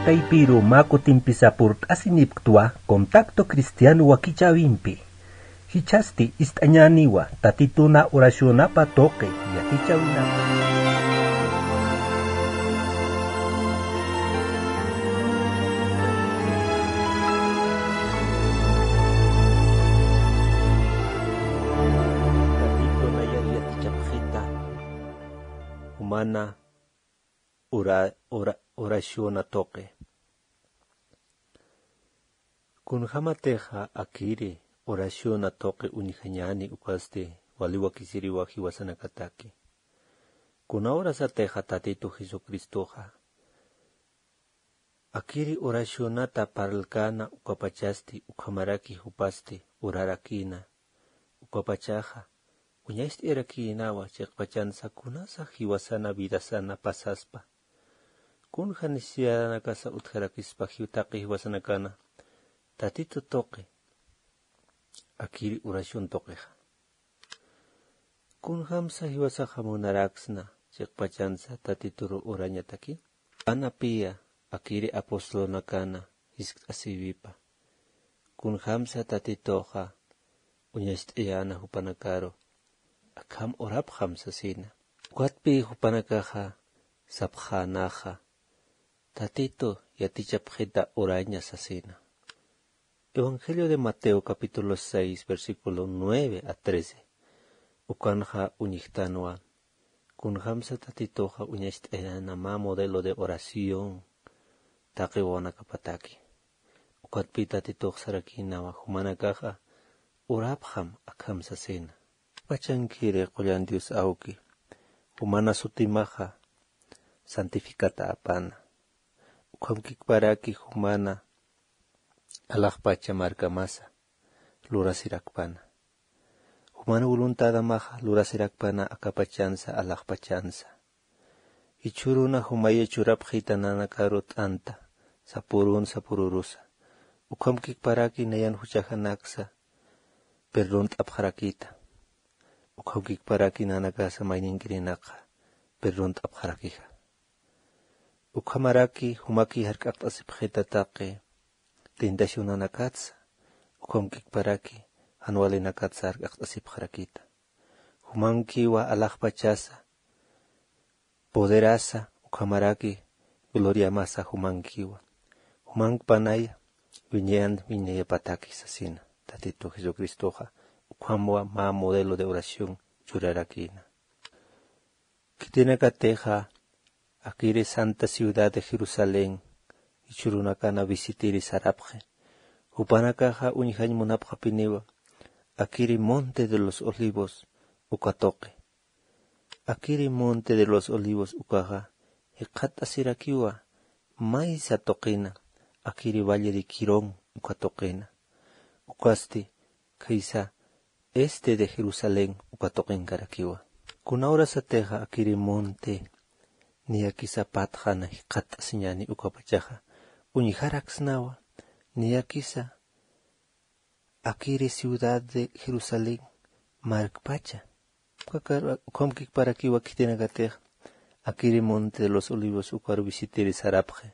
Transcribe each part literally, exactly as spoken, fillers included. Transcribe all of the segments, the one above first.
Taypiru mä kutimpisa purt'asinipktwa Contacto Cristiano wakichäwimpi. Jichhasti ist'añäniwa Tatituna oracionapa tuqi yatichäwinapa. Tatituna yatichapxita jumana ora-, ora-, oraciona tuqi. Kunjämatixa akiri oraciona tuqi uñjañäni ukasti wali wakisiriwa jiwasanakataki. Kuna urasatixa Tatitu Jesucristoxa akiri oracionata parlkäna ukapachasti ukhamaraki jupasti urarakïna. Ukapachaxa uñacht'ayarakïnawa chiqpachansa kunasa jiwasana vidasana pasaspa. Kunja necesidadnakasa utjarakispa jiw taqi jiwasanakana Tatitu tuqi akiri oración tuqixa. Kunjamsa jiwasaxa munaraksna chiqpachansa Tatituru urañataki. Anapiya akiri apostolonakana jiskt'asïwipa. Kunjamsa Tatituxa uñacht'ayäna jupanakaru akham urapxam sasina. Ukatpi jupanakaxa sapxänaxa Tatitu yatichapxita uraña sasina. Evangelio de Mateo capítulo seis, versículo nueve a trece. Ukanxa uñjtanwa. Kunjamsa Tatituxa uñacht'ayäna mä modelo de oración taqi wawanakapataki. Ukatpi Tatitux sarakïnawa jumanakaxa urapxam akham sasina. Pachankiri qullan Dios awki, jumana sutimaxa santificata apana. Ukhamkikparaki jumana alaxpacha markamasa lurasirakpana. Juman voluntadamaxa lurasirakpana akapachansa alaxpachansa. Jichhüruna jumaya churapxita nanakaru t'anta, sapürun sapürurusa. Ukhamkikparaki nayan juchajanaksa perdont'apxarakïta. Ukhamkikparaki nanakasa mayninkirinakxa perdont'apxarakixa. Ukhamaraki jumaki jark'aqt'asipxita taqi tentacionanakatsa, ukhamkikparaki jan walinakatsa jark'aqt'asipxarakïta. Jumankiwa alaxpachasa, poderasa, ukhamaraki gloriamasa jumankiwa. Jumankpanaya wiñayan wiñayapataki sasina Tatitu Jesucristoxa, ukhamwa mä modelo de oración churarakïna. Khitinakatixa akiri santa ciudad de Jerusalén jichhürunakana visitiri sarapxi. Jupanakaxa uñjañ munapxapiniwa akiri Monte de los Olivos uka tuqi. Akiri Monte de los Olivos ukaxa jikxatt'asirakiwa maysa tuqina, akiri Valle de Quirón uka tuqina. Ukasti khaysa este de Jerusalén uka tuqinkarakiwa. Kuna urasatixa akiri monte niyakisa patxana jikxatt'asiñäni ukapachaxa uñjaraksnawa niyakisa akiri ciudad de Jerusalén markpacha. Ukakar-, ukhamkikparakiwa khitinakatix akiri Monte de los Olivos ukaru visitiri sarapxi.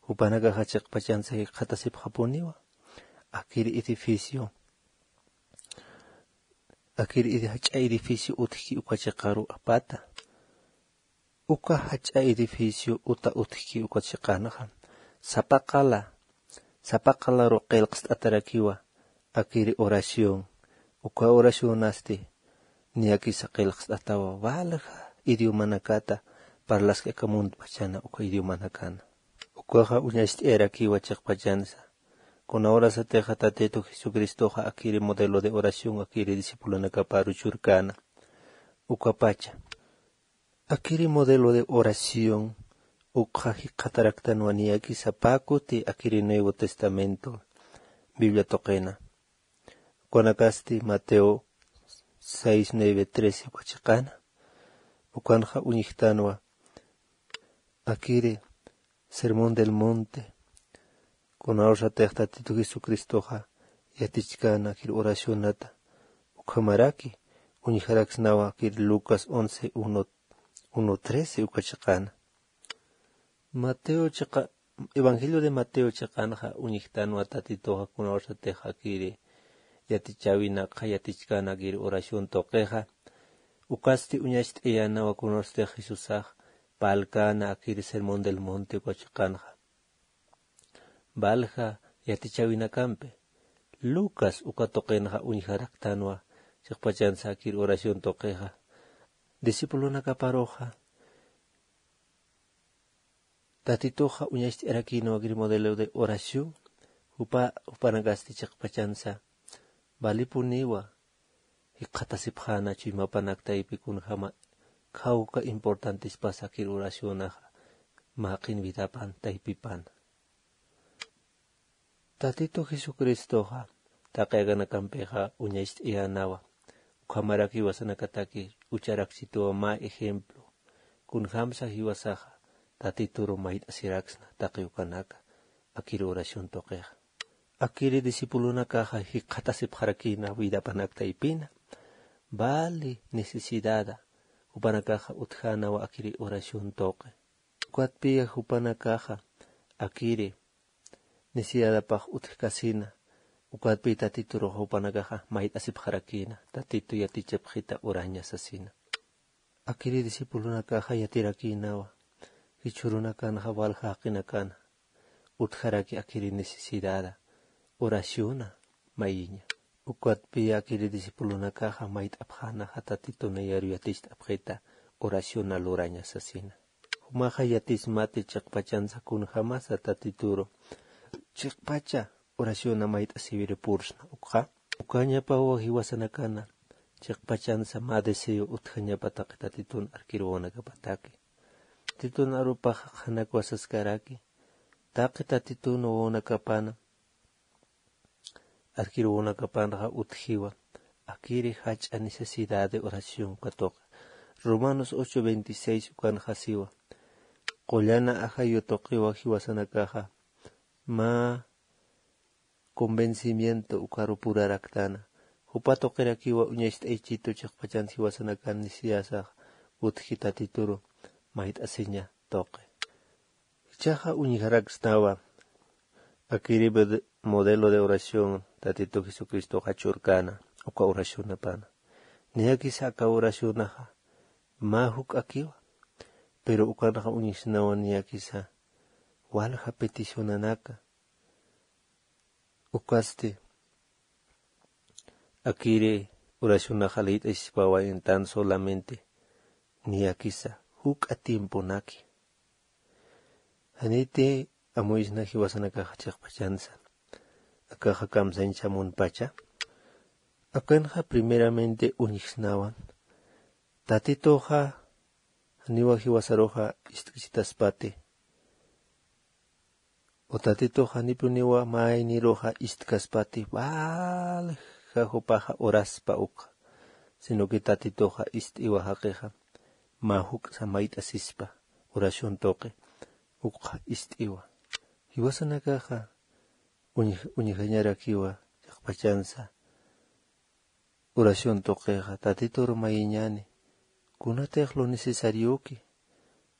Jupanakaxa chiqpachansa jikxatasipxapuniwa akiri edificio, akiri edi-, jach'a edificio utjki uka chiqaru apata. Uka jach'a edificio uta utjki uka chiqanxa sapa qala, sapa qalaru qillqst'atarakiwa akiri oración. Uka oracionasti niyakisa qillqst'atawa walja idiomanakata parlaski aka muntpachana uka idiomanakana. Ukaxa uñacht'ayarakiwa chiqpachansa. Kuna urasatixa Tatitu Jesucristoxa akiri modelo de oración akiri discipulonakaparu churkäna. Ukapacha akiri modelo de oración ukxa jikxataraktanwa niyakisa pä kuti akiri Nuevo Testamento Biblia tuqina. Ukanakasti Mateo seis, nueve, trece uka chiqana. Ukanxa uñjtanwa akiri Sermón del Monte, kuna urasatix Tatitu Jesucristoxa yatichkäna akir oracionata, ukhamaraki uñjaraksnawa akir Lucas once, uno, uno trece uka chiqana. Mateo chiqa Evangelio de Mateo chiqanxa uñjtanwa Tatituxa kunawsatix akiri yatichäwinakxa yatichkänakir oración tuqixa. Ukasti uñacht'ayänawa kunawsatix Jesusax parlkäna akiri Sermón del Monte uka chiqanxa. Valja yatichäwinakampi Lucas uka tuqinxa uñjaraktanwa chiqpachansa akir oración tuqixa. Discipulonakaparuxa Tatituxa uñacht'arakïnwa akir modelo de oración. Jupa jupanakasti chiqpachansa valipuniwa jikxatasipxäna chuymapanak taypi kunjama khawka importantispas akir oracionaxa mäqin vidapan taypipan. Tatitu Jesucristoxa taqi akanakampixa uñacht'ayänawa. Ukhamaraki jiwasanakataki ucharakchituwa mä ejemplo kunjamsa jiwasaxa Tatituru mayt'asiraksna taqi ukanaka akir oración tuqixa. Akiri discipulonakaxa jikxatasipxarakïna vidapanak taypina vali necesidada jupanakaxa utjänawa akiri oración tuqi. Ukatpiya jupanakaxa akiri necesidadapax utjkasina. Ukatpi Tatituruxa jupanakaxa mayt'asipxarakïna Tatitu yatichapxita uraña sasina. Akiri discipulonakaxa yatirakïnawa jichhürunakanxa valja jaqinakana utjaraki akiri necesidada oraciona mayiña. Ukatpiya akiri discipulonakaxa mayt'apxänaxa Tatitu nayaru yaticht'apxita oraciona luraña sasina. Jumaxa yatismati chiqpachansa kunjamasa Tatituru chiqpacha oraciona mayt'asiwiri pursna ukxa. Ukañapawa jiwasanakana chiqpachansa mä deseo utjañapa taqi Tatitun arkiruwanakapataki. Tatitun arupaxa qhanakwasaskaraki taqi Tatitun wawanakapana arkiruwanakapanxa utjiwa akiri jach'a necesidad de oración katuqa. Romanos ocho veintiséis ukanxa siwa qullana ajayu tuqiwa jiwasanakaxa mä convencimiento ukaru puraraktana. Jupa tuqirakiwa uñacht'aychitu chiqpachan jiwasanakan necesidadasax utji Tatituru mayt'asiña tuqi. Jichhaxa uñjaraksnawa akiri modelo de oración Tatitu Jesucristoxa churkana uka oracionapana. Niyakisa aka oracionaxa mä juk'akiwa, pero ukanxa uñjsnawa niyakisa walja peticionanaka. Ukasti akiri oracionaxa liyt'asispawa en tan solamente niyakisa juk'a tiemponaki. Janiti amuyisna jiwasanakaxa chiqpachansa akaxa kamsañchamunpacha. Akanxa primeramente uñjsnawan Tatituxa janiwa jiwasaruxa ist'kchitaspati. O Tatitux janipuniwa mayniruxa ist'kaspati walja jupaxa oraspa ukxa, sino que Tatituxa ist'iwa jaqixa mä juk'sa mayt'asispa oración tuqi ukxa ist'iwa. Jiwasanakaxa uñjañarakiwa chiqpachansa oración tuqixa Tatitur mayiñani kunatix lo necesarioki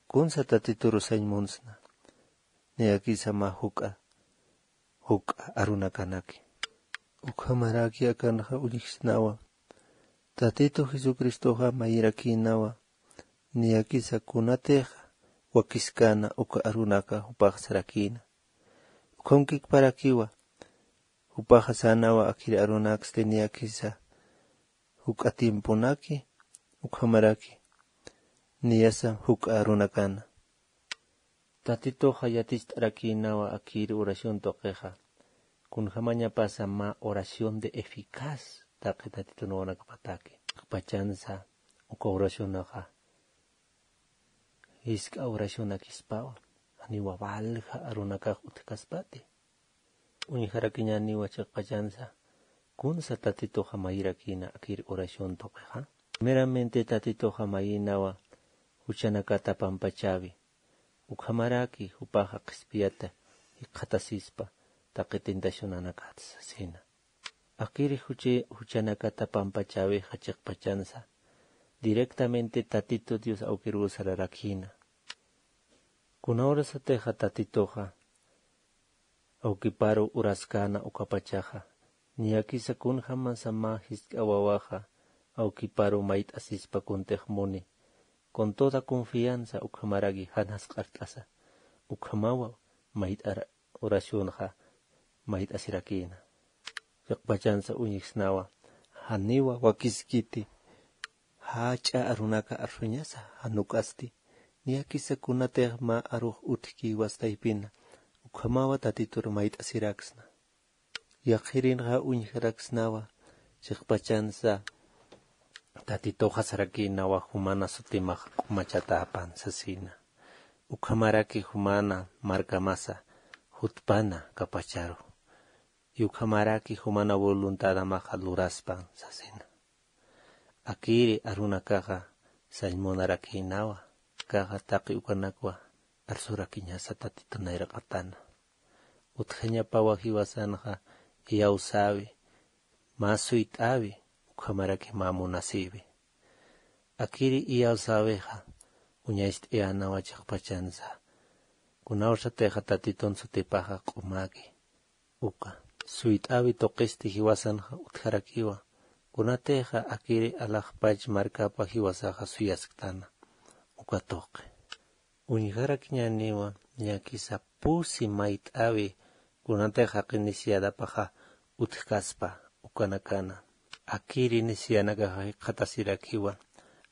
kunsa Tatitur sañ munsna. Niyakisa mä juk'a juk'a arunakanaki. Ukhamaraki akanxa uñjsnawa Tatitu Jesucristoxa mayirakïnawa niyakisa kunatix wakiskana uka arunaka jupax sarakïna. Ukhamkikparakiwa jupaxa sänawa akiri arunaksti niyakisa juk'a tiemponaki ukhamaraki niyasa juk'a arunakana. Tatituxa yaticht'arakïnawa akiri oración tuqixa kunjamañapasa mä oración de eficaz taqi Tatitun wawanakapataki. Chiqpachansa uka oracionaxa jisk'a oracionakispawa janiwa walja arunakax utjkaspati. Uñjarakiñaniwa chiqpachansa kunsa Tatituxa mayirakïna akir oración tuqixa. Primeramente Tatituxa mayïnawa juchanakata pampachäwi ukhamaraki jupaxa qhispiyata jikxatasispa taqi tentacionanakat sasina. Akiri juchanakata pampachäwixa chiqpachansa directamente Tatitu Dios awkiruw sararakïna. Kuna urasatixa Tatituxa Awkiparu uraskäna ukapachaxa, niyakisa kunjämasa mä jisk'a wawaxa awkiparu mayt'asispa kuntix muni, con toda confianza ukhamaraki jan jasq'art'asa, ukhamawa mayt'ar oracionxa mayt'asirakïna. Chiqpachansa uñjsnawa, janiwa wakiskiti, jach'a arunaka arsuñasa, jan ukasti, niyakisa kunatix mä arux utjki jiwas taypina, ukhamawa Tatitur mayt'asiraksna. Yaqhirinxa uñjaraksnawa, chiqpachansa Tatituxa sarakïnawa jumana sutimax q'umachatäpan sasina. Ukhamaraki jumana markamasa jutpana kapacharu. Y ukhamaraki jumana voluntadamaxa luraspan sasina. Akiri arunakaxa sañ munarakïnawa, akaxa taqi ukanakwa arsurakiñasa Tatitu nayraqatana. Utjañapawa jiwasanxa iyawsäwi, mä suyt'äwi, ukhamaraki mä munasïwi. Akiri iyawsäwixa uñacht'ayänawa chiqpachansa, kunawsatixa Tatitun sutipaxa q'umäki. Uka suyt'äwi tuqisti jiwasanxa utjarakiwa, kunatixa akiri alaxpach markapa jiwasaxa suyasktana uka tuqi. Uñjarakiñäniwa, niyakisa pusi mayt'äwi kunatix jaqi necesidadapaxa utjkaspa ukanakana. Akiri necesidadnakaxa jikxatasirakiwa,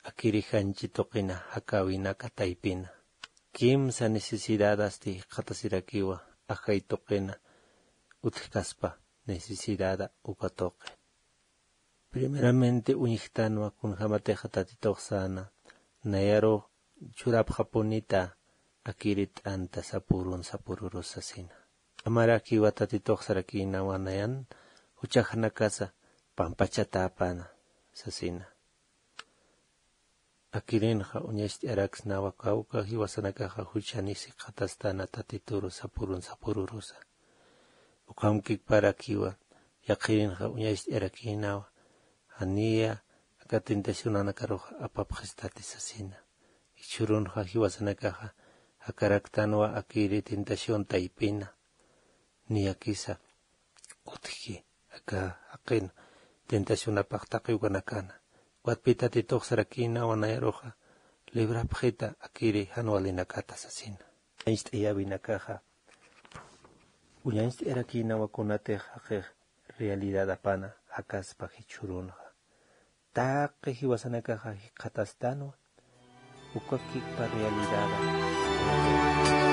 akiri janchi tuqina jakäwinaka taypina. Kimsa necesidadasti jikxatasirakiwa, ajay tuqina utjkaspa necesidada uka tuqi. Primeramente uñjtanwa kunjämatixa Tatitux säna, nayarux churapxapunita akiri t'anta sapürun sapürürus sasina. Amarakiwa Tatitux sarakïnawa nayan juchaxanakasa pampachatäpana sasina. Akirinxa uñacht'araksnawa kawka jiwasanakaxa juchanis jikxatastana Tatituru sapürun sapürurusa. Ukhamkikparakiwa yaqhirinxa uñacht'arakïnawa, janiya aka tentacionanakaruxa apapxistati sasina. Jichhürunxa jiwasanakaxa jakaraktanwa akiri tentación taypina. Niyakisa utjki aka jaqin tentacionapax taqi ukanakana. Ukatpï Tatitux sarakïnawa nayaruxa librapxita akiri jan walinakata sasina. Uñacht'ayäwinakaxa uñacht'ayarakïnawa kunatix jaqix realidadapana jakaspa jichhürunxa. Taqi jiwasanakaxa jikxatastanwa ukakikpa realidada.